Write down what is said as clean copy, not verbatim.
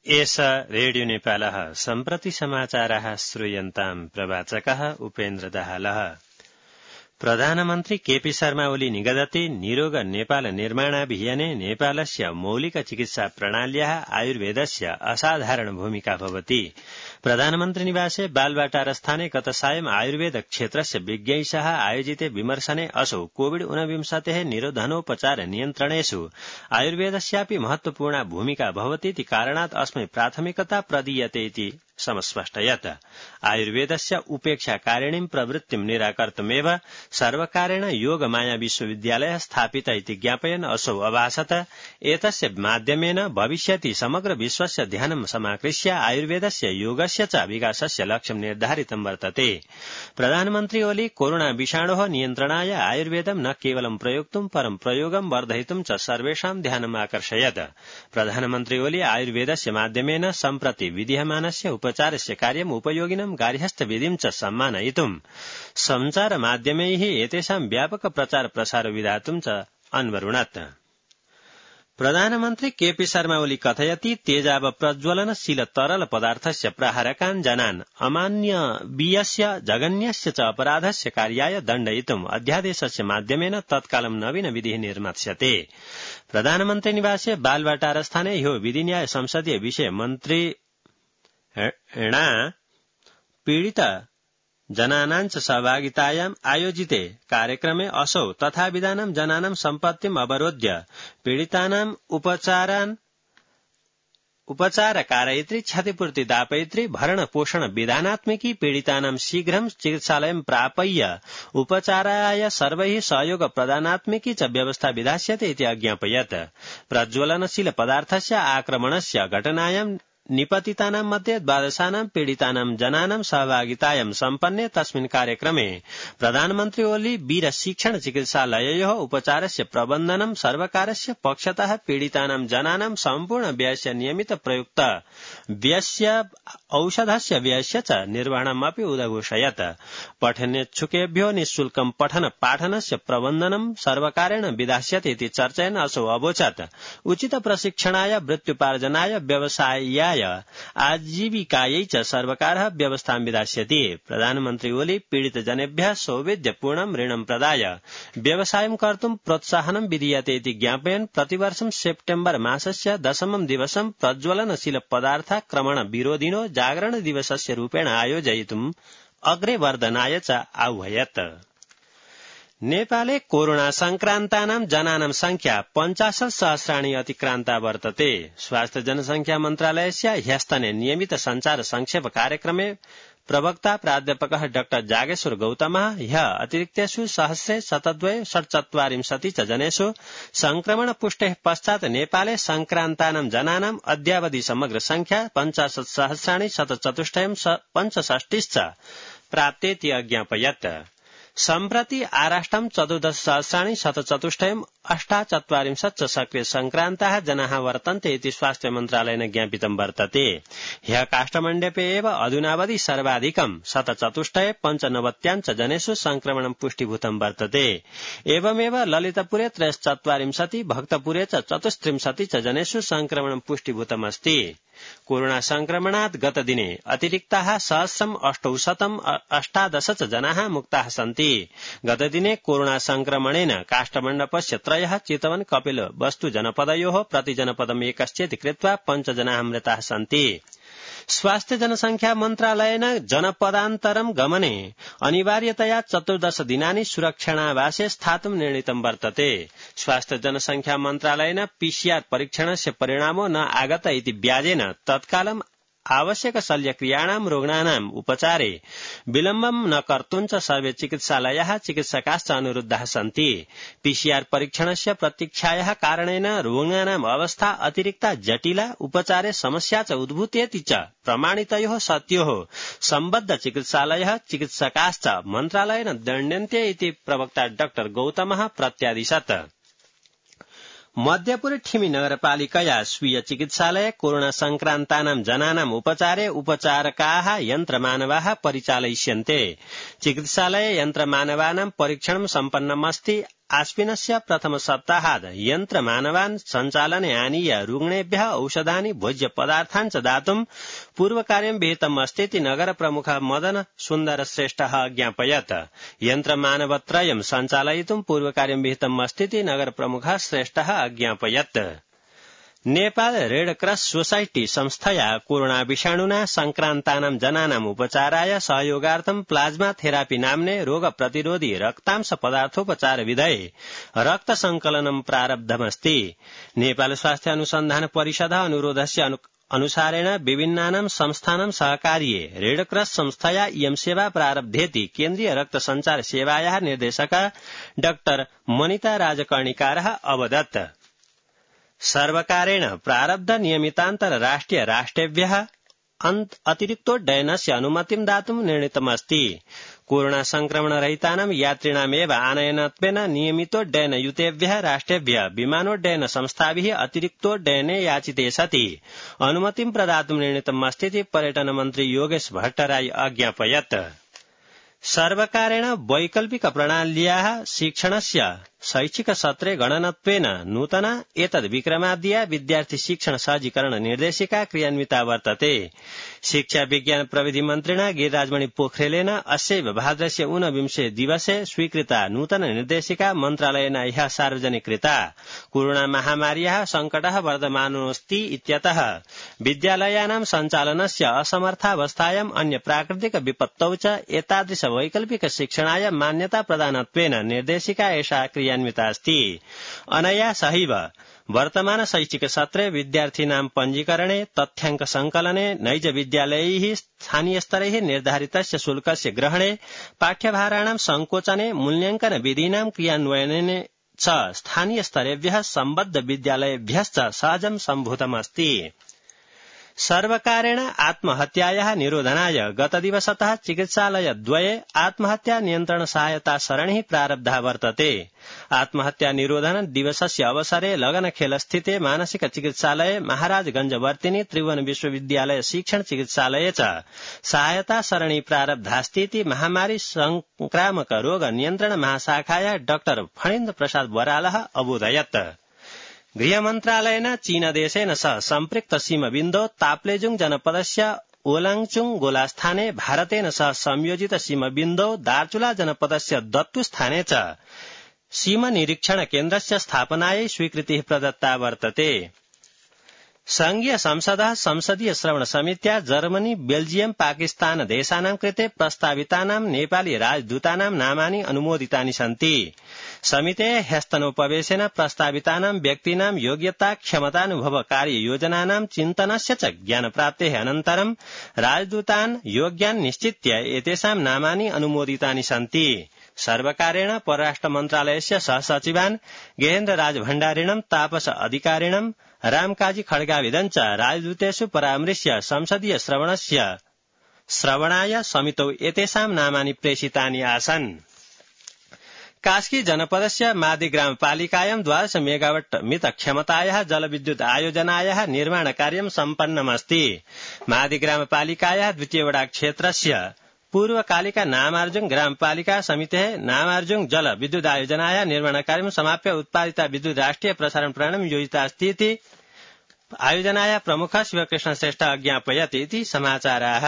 एष रेडियो नेपालः सम्प्रति समाचाराः श्रूयन्ताम् प्रवाचकः उपेन्द्र दाहालः। प्रधानमन्त्री केपी शर्मा ओली निगदति निरोग नेपाल निर्माणाभियाने नेपालस्य मौलिक चिकित्सा प्रणाल्याः आयुर्वेदस्य असाधारण भूमिका भवति। प्रधानमन्त्री निवासे बालवाटारस्थाने गत सायं आयुर्वेद क्षेत्रस्य विज्ञैः आयोजिते विमर्शने असौ कोविड-19 निरोधनोपचार नियन्त्रणेषु आयुर्वेदस्यापि महत्वपूर्णा भूमिका भवति इति कारणात् अस्मै प्राथमिकता प्रदीयते इति समस्पष्टयत्। आयुर्वेदस्य उपेक्षाकारिणीं प्रवृत्तिं निराकर्तुमेव सर्वकारेण योगमाया विश्वविद्यालयः स्थापित इति ज्ञापयन् असौ अभाषत एतस्य माध्यमेन भविष्यति समग्र विश्वस्य ध्यानं समाकृष्य आयुर्वेदस्य योगस्य च विकासस्य लक्ष्यं निर्धारितं वर्तते। प्रधानमन्त्री ओली कोरोना विषाणोः नियन्त्रणाय आयुर्वेदं न केवलं प्रयोक्तुं परं प्रयोगं वर्धयितुं च सर्वेषां ध्यानम् आकर्षयत्। प्रधानमन्त्री ओली आयुर्वेदस्य माध्यमेन सम्प्रति विधीयमानस्य उपचारस्य कार्यम् उपयोगिनं गार्हस्थ्यविधिं च सम्मानयितुं सञ्चारमाध्यमैः एतेषां व्यापक प्रचार प्रसार विधातुं च अन्वरुणत्। प्रधानमन्त्री केपी शर्मा ओली कथयति तेजाब प्रज्वलनशील तरल पदार्थस्य प्राहारकान् जनान् अमानवीयस्य जघन्यस्य च अपराधस्य कार्याय दण्डयितुम् अध्यादेशस्य माध्यमेन तत्कालं नवीन विधिः निर्मास्यते। प्रधानमन्त्री निवासे बालवाटारस्थाने ह्यो विधिन्याय संसदीय विषय मन्त्री पीडित जनानां च सहभागितायाम् आयोजिते कार्यक्रमे असौ तथाविधानं जनानां सम्पत्तिम् अवरोध्य पीडितानाम् उपचार कारयित्री क्षतिपूर्ति दापयित्री भरण पोषण विधानात्मकी पीडितानां शीघ्रं चिकित्सालयं प्रापय्य उपचाराय सर्वैः सहयोग प्रदानात्मकी च व्यवस्था विधास्यते इति अज्ञापयत्। प्रज्वलनशील पदार्थस्य आक्रमणस्य घटनायां निपतितानां मध्ये 12 पीडितानां जनानां सहभागितायां सम्पन्ने तस्मिन् कार्यक्रमे प्रधानमन्त्री ओली वीर शिक्षण चिकित्सालययोः उपचारस्य प्रबन्धनं सर्वकारस्य पक्षतः पीडितानां जनानां सम्पूर्ण व्ययस्य नियमित प्रयुक्त व्ययस्य औषधस्य व्ययस्य च निर्वहणमपि उदघोषयत्। पठनेच्छुकेभ्यो निःशुल्कं पठन पाठनस्य प्रबन्धनं सर्वकारेण विधास्यते इति चर्चयन् असौ अवोचत् उचित प्रशिक्षणाय वृत्त्युपार्जनाय व्यवसायाय आजीविकायै च सर्वकारः व्यवस्थां विधास्यति। प्रधानमन्त्री ओली पीडित जनेभ्यः सौविध्यपूर्णं ऋणं प्रदाय व्यवसायं कर्तुं प्रोत्साहनं विधीयते इति ज्ञापयन् प्रतिवर्षं सेप्टेम्बर मासस्य 10 दिवसं प्रज्वलनशील पदार्थाक्रमण विरोधिनो जागरण दिवसस्य रूपेण आयोजयितुम् अग्रे वर्धनाय च आह्वयत्। नेपाले कोरोना संक्रान्तानां जनानां संख्या 50,000 अतिक्रान्ता वर्तते। स्वास्थ्य जनसंख्या मन्त्रालयस्य ह्यस्तने नियमित संचार संक्षेप कार्यक्रमे प्रवक्ता प्राध्यापकः डाक्टर जागेश्वर गौतमः ह्यः अतिरिक्तेषु 100,747 च जनेषु संक्रमण पुष्टेः पश्चात् नेपाले संक्रान्तानां जनानां अद्यावधि समग्र संख्या 50,765 च प्राप्तेति अज्ञापयत्। सम्प्रति आराष्ट्रं 14,748 च सक्रिय संक्रान्ताः जनाः वर्तन्ते इति स्वास्थ्य मन्त्रालयेन ज्ञापितं वर्तते। ह्यः काष्ठमण्डपे एव अधुनावधि सर्वाधिकं 195 च जनेषु संक्रमणं पुष्टिभूतं वर्तते। एवमेव ललितपुरे 43, भक्तपुरे च 34 च जनेषु संक्रमणं पुष्टिभूतमस्ति। कोरोना संक्रमणात् गतदिने अतिरिक्ताः 1,818 च जनाः मुक्ताः सन्ति। गतदिने कोरोना संक्रमणेन काष्ठमण्डपस्य 3 चितवन कपिल वस्तु जनपदयोः प्रतिजनपदम् 1 चेति कृत्वा 5 जनाः मृताः सन्ति। स्वास्थ्य जनसंख्या मन्त्रालयेन जनपदान्तरं गमने अनिवार्यतया 14 दिनानि सुरक्षणावासे स्थातुं निर्णीतं वर्तते। स्वास्थ्य जनसंख्या मन्त्रालयेन पीसीआर परीक्षणस्य परिणामो न आगत इति व्याजेन तत्कालम् आवश्यक शल्यक्रियाणां रोगिणानाम् उपचारे विलम्बं न कर्तुं च सर्वे चिकित्सालयाः चिकित्सकाश्च अनुरुद्धाः सन्ति। पीसीआर परीक्षणस्य प्रतीक्षायाः कारणेन रोगिणानाम् अवस्था अतिरिक्ता जटिला उपचारे समस्या च उद्भूतेति च प्रमाणितयोः सत्योः सम्बद्ध चिकित्सालयः चिकित्सकाश्च मन्त्रालयेन दण्ड्यन्ते इति प्रवक्ता डाक्टर गौतमः प्रत्यादिशत्। मध्यपुरे ठिमी नगरपालिकया स्वीय चिकित्सालये कोरोना संक्रान्तानां जनानां उपचारे उपचारकाः यन्त्रमानवाः परिचालयिष्यन्ते। चिकित्सालये यन्त्रमानवानां परीक्षणं सम्पन्नमस्ति। आश्विनस्य प्रथम सप्ताहात् यन्त्रमानवान् सञ्चालने आनीय रुग्णेभ्यः औषधानि भोज्य पदार्थान् च दातुं पूर्वकार्यं विहितम् अस्तीति नगर प्रमुखः मदन सुन्दर श्रेष्ठः अज्ञापयत्। यन्त्रमानवत्रयं सञ्चालयितुं पूर्वकार्यं विहितम् अस्तीति नगर प्रमुखः श्रेष्ठः अज्ञापयत्। नेपाल रेड क्रॉस सोसाइटी संस्थया कोरोना विषाणुना संक्रान्तानां जनानाम् उपचाराय सहयोगार्थं प्लाज्मा थेरापी नाम्ने रोग प्रतिरोधी रक्तांश पदार्थोपचार विधये रक्त संकलनं प्रारब्धमस्ति। नेपाल स्वास्थ्य अनुसन्धान परिषदः अनुरोधस्य अनुसारेण विभिन्नानां संस्थानां सहकार्ये रेड क्रॉस संस्थया इयं सेवा प्रारब्धेति केन्द्रीय रक्त संचार सेवायाः निर्देशकः डाक्टर मनिता राजकर्णिकारः अवदत्। सर्वकारेण प्रारब्ध नियमितान्तर राष्ट्रेभ्यः अतिरिक्तोड्डयनस्य अनुमतिं दातुं निर्णीतमस्ति। कोरोना संक्रमण रहितानां यात्रिणामेव आनयनत्वेन नियमितोड्डयनयुतेभ्यः राष्ट्रेभ्यः विमानोड्डयन संस्थाभिः अतिरिक्तोड्डयने याचिते सति अनुमतिं प्रदातुं निर्णीतमस्तीति पर्यटन मन्त्री योगेश भट्टराई अज्ञापयत्। सर्वकारेण वैकल्पिक प्रणाल्याः शिक्षणस्य शैक्षिक सत्रे गणनत्वेन नूतना एतद् विक्रमाद्या विद्यार्थी शिक्षण सहजीकरण निर्देशिका क्रियान्विता वर्तते। शिक्षा विज्ञान प्रविधि मन्त्रिणा गिरिराजमणि पोखरेलेन अस्यैव भाद्रस्य 29 दिवसे स्वीकृता नूतन निर्देशिका मन्त्रालयेन ह्यः सार्वजनिकृता। कोरोना महामार्याः सङ्कटः वर्धमानोऽस्ति इत्यतः विद्यालयानां सञ्चालनस्य असमर्थावस्थायाम् अन्य प्राकृतिक विपत्तौ च एतादृश वैकल्पिक शिक्षणाय मान्यता प्रदानत्वेन निर्देशिका एषा क्रियान्विता अस्ति। अनया सहैव वर्तमान शैक्षिक सत्रे विद्यार्थीनां पञ्जीकरणे तथ्याङ्क संकलने नैज विद्यालयैः स्थानीयस्तरैः निर्धारितस्य शुल्कस्य ग्रहणे पाठ्यभाराणां संकोचने मूल्याङ्कन विधीनां क्रियान्वयने च स्थानीयस्तरेभ्यः सम्बद्ध विद्यालयेभ्यश्च सहजं सम्भूतमस्ति। सर्वकारेण आत्महत्यायाः निरोधनाय गतदिवसतः चिकित्सालयद्वये आत्महत्या नियन्त्रण सहायता सरणिः प्रारब्धा वर्तते। आत्महत्या निरोधन दिवसस्य अवसरे लगनखेलस्थिते मानसिक चिकित्सालये महाराजगंजवर्तिनी त्रिभुवन विश्वविद्यालय शिक्षण चिकित्सालये च सहायता सरणी प्रारब्धास्तीति महामारी संक्रामक रोग नियन्त्रण महाशाखाया डाक्टर फणीन्द्र प्रसाद बरालः अबोधयत्। गृहमन्त्रालयेन चीनदेशेन सह सम्पृक्त सीमबिन्दौ ताप्लेजुङ जनपदस्य ओलाङचुङ गोलास्थाने भारतेन सह संयोजित सीमबिन्दौ दार्चुला जनपदस्य दत्तुस्थाने च सीमनिरीक्षण केन्द्रस्य स्थापनायै स्वीकृतिः प्रदत्ता वर्तते। संघीय संसदः संसदीय श्रवण समित्या जर्मनी बेल्जियम पाकिस्तान देशानां कृते प्रस्तावितानां नेपाली राजदूतानां नामानि अनुमोदितानि सन्ति। समितेः ह्यस्तनोपवेशेन प्रस्तावितानां व्यक्तीनां योग्यता क्षमतानुभव कार्ययोजनानां चिन्तनस्य च ज्ञानप्राप्तेः अनन्तरं राजदूतान् योग्यान् निश्चित्य एतेषां नामानि अनुमोदितानि सन्ति। सर्वकारेण परराष्ट्र मन्त्रालयस्य सहसचिवान् गेहेन्द्र राज भण्डारिणं तापस अधिकारिणं रामकाजी खड्गाविदं च राजदूतेषु परामृश्य संसदीय श्रवणाय समितौ एतेषां नामानि प्रेषितानि आसन्। कास्की जनपदस्य मादी ग्रामपालिकायां 12 मेगावाट मित क्षमतायाः जलविद्युत आयोजनायाः निर्माणकार्यं सम्पन्नमस्ति। मादी ग्रामपालिकायाः द्वितीय वडा क्षेत्रस्य पूर्वकालिका नामार्जुङ ग्रामपालिका समितेः नामार्जुङ जल विद्युत आयोजनायाः निर्माणकार्यं समाप्य उत्पादिता विद्युत राष्ट्रिय प्रसारण प्रणाली योजिता अस्ति इति आयोजनायाः प्रमुखः शिवकृष्ण श्रेष्ठ अज्ञापयत् इति समाचाराः।